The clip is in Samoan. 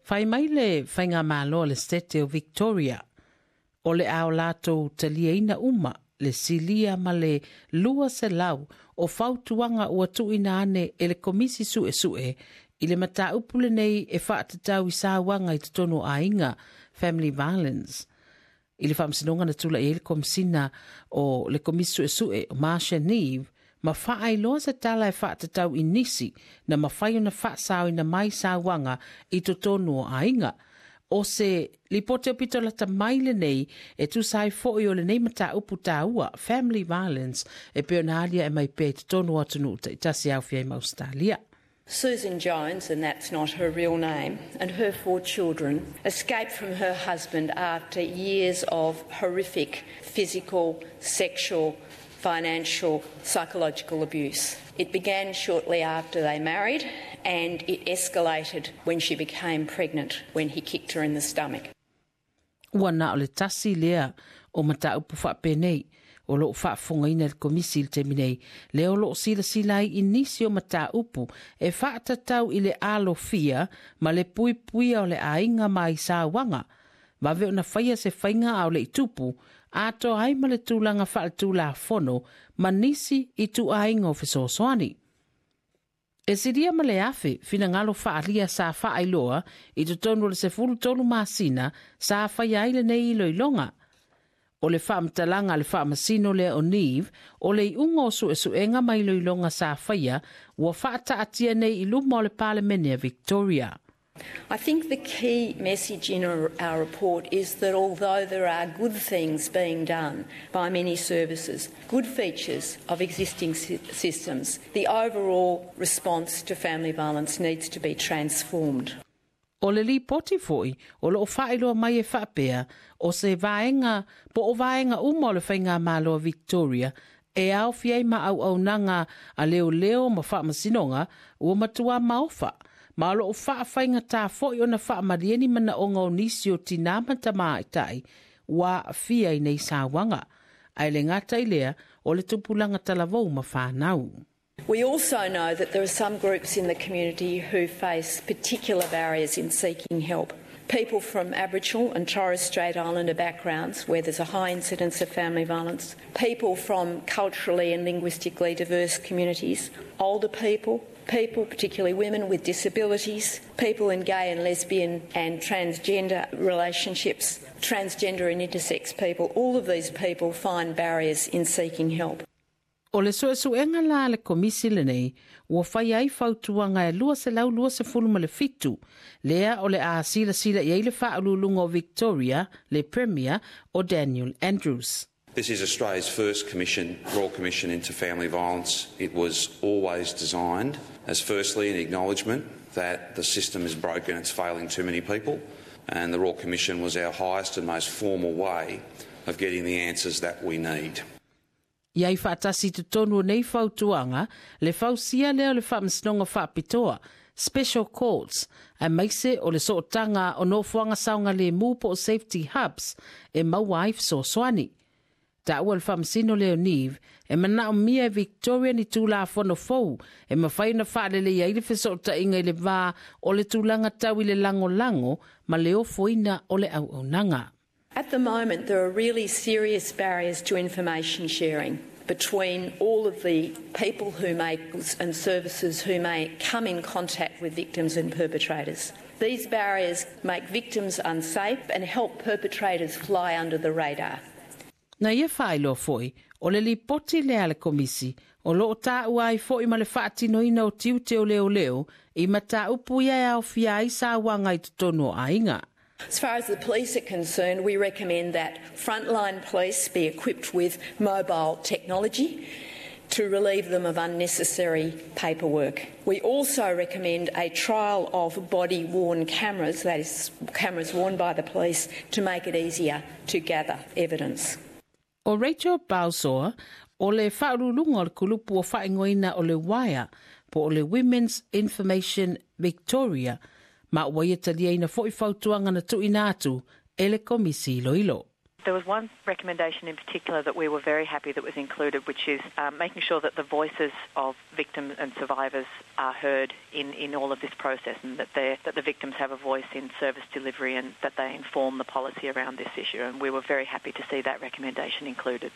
Fai mai le faigamalo a le Setete o Victoria, o le a o latou taliaina uma le silia ma le 200 o fautuaga ua tuuina ane e le Komisi Suesue i le mataupu lenei e faatatau i sauaga i totonu o aiga, family violence. I le faamasinoga na tula'i ai le Komisina o le Komisi Suesue o Marcia Neave ma faailoa se tala e faatatau i nisi na mafai ona faasaoina mai sauaga i totonu o aiga. O se lipoti aupito lata mai lenei e tusa ai foi o lenei mataupu taua, family violence, e pei ona aliae mai pea i totonu o atunuu taitasi e aofia ai ma Ausetalia. Susan Jones, and that's not her real name, and her four children escaped from her husband after years of horrific physical, sexual, financial, psychological abuse. It began shortly after they married and it escalated when she became pregnant when he kicked her in the stomach. Ua na o le tasi lea o mataupu faapenei o loo faafofogaina e le Komisi i le taimi nei, lea o loo silasila ai i nisi o mataupu e faatatau i le alofia ma le puipuia o le aiga ma ai sauaga, vave ona faia se faiga a o le i tupu, atoa ai ma le tulaga faaletulafono ma nisi ituaiga o fesoasoani. E silia ma le 1000 finagalo faaalia sa faailoa i totonu o le 13 masina sa faia ai lenei iloiloga. O le faamatalaga a le faamasino lea o Neave, o le iuga o suesuega ma iloiloga sa faia ua faataatia nei i luma o le Palemene a Victoria. I think the key message in our report is that although there are good things being done by many services, good features of existing systems, the overall response to family violence needs to be transformed. O le lipoti foi o loo faailoa mai e faapea, o se vaega po o vaega uma o le Faigamalo a Victoria e aofia ai ma auaunaga a leoleo ma faamasinoga ua matua maofa, ma o loo faafaigata foi ona faamalie ni manaoga o nisi o tinā ma tamaitai ua aafia i nei sauaga, ae le gata i lea o le tupulaga talavou ma fanau. We also know that there are some groups in the community who face particular barriers in seeking help. People from Aboriginal and Torres Strait Islander backgrounds where there's a high incidence of family violence, people from culturally and linguistically diverse communities, older people, people, particularly women with disabilities, people in gay and lesbian and transgender relationships, transgender and intersex people, all of these people find barriers in seeking help. O le suesuega la a le Komisi lenei, ua faia ai fautuaga e 227, lea o le a silasila i ai le Faauluuluga o Victoria, le Premier o Daniel Andrews. This is Australia's first commission, Royal Commission into Family Violence. It was always designed as firstly an acknowledgement that the system is broken, it's failing too many people, and the Royal Commission was our highest and most formal way of getting the answers that we need. I ai faatasi i totonu o nei fautuaga le fausia lea o le Faamasinoga Faapitoa, Special Courts, aemaise o le sootaga o nofoaga saogalemu po o safety hubs e maua ai fesoasoani. Taua le Faamasino lea o Neave e manaomia e Victoria ni Tulafono fou e mafai ona faaleleia ai le fesootaiga i le va o le tulaga tau i le lagolago ma le ofoina o le auaunaga. At the moment, there are really serious barriers to information sharing between all of the people who may and services who may come in contact with victims and perpetrators. These barriers make victims unsafe and help perpetrators fly under the radar. Na ia faailoa foi, o le lipoti lea a le Komisi, o lo o taua ai foi ma le faatinoina o tiute o leoleo i mataupu ia e aofia ai sauaga i totonu o aiga. As far as the police are concerned, we recommend that frontline police be equipped with mobile technology to relieve them of unnecessary paperwork. We also recommend a trial of body-worn cameras, that is, cameras worn by the police, to make it easier to gather evidence. ʻO Rachel Balsor, o le faauluuluga o le kulupu ua faaigoaina o le WIRE, po o le Women's Information Victoria, ma ua ia taliaina foi fautuaga na tuuina atu e le Komisi Iloilo. There was one recommendation in particular that we were very happy that was included, which is making sure that the voices of victims and survivors are heard in all of this process, and that the victims have a voice in service delivery and that they inform the policy around this issue. And we were very happy to see that recommendation included.